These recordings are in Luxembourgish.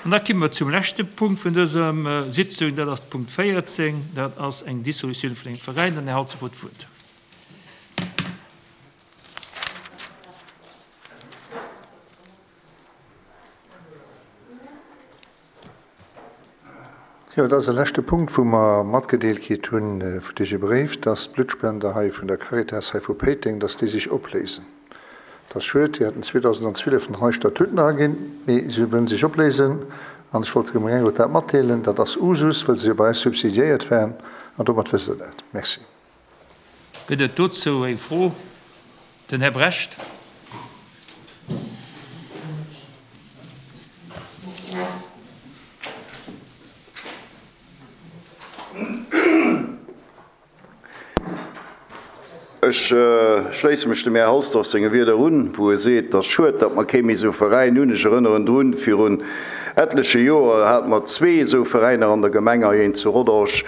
An da komme mer zum leschte Punkt vun dëser Sitzung, dat ass de Punkt 14, dat ass eng Dissolutioun vun engem Veräin. Den Här Halsdorf huet d'Wuert. Jo, et ass e leschte Punkt, wou mer matgedeelt kritt hunn duerch e Bréif, dass d'Bluttspender hei vun der Caritas hei vu Péiteng, dass déi sech opléisen. Et ass schued, déi haten 2012 nach nei Statuten eraginn, mee se wëllen sech opléisen. An ech wollt der Gemengerot dat matdeelen. Dat ass Usus, wëll se jo bei eis subsidiéiert waren. An domat wësst Der dat. Merci. Gëtt et dozou eng Fro? Den Här Brecht. Ech schléisse mech dem Här Halsdorf senge Wierder un, wou e seet, et ass schued, datt mer kee méi esou Veräin hunn. Ech erënneren drun, virun etleche Joer hate mer zwee esou Veräiner an der Gemeng hei, een zu Rodange,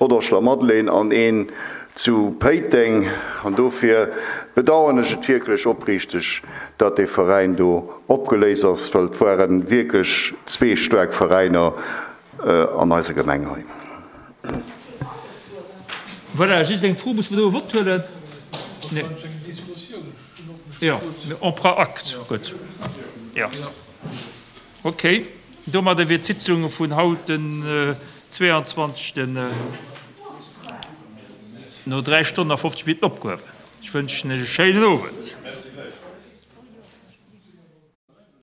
Rodange-Lamadelaine, an een zu Péiteng. An dofir bedauern ech et wierklech opriichteg, datt dee Veräin do opgeléist ass, well et ware wierklech zwee staark Veräiner an eiser Gemeng hei. Voilà, just eng Fro, Muss mer do e Vott huelen? Nee. Jo, on prend acte. Gutt. Jo. Okay. Domadder wier d'Sitzung vun haut, den 22. No 3 Stonnen a 50 Minutten opgehuewen. Ech wënschen Iech e schéinen Owend.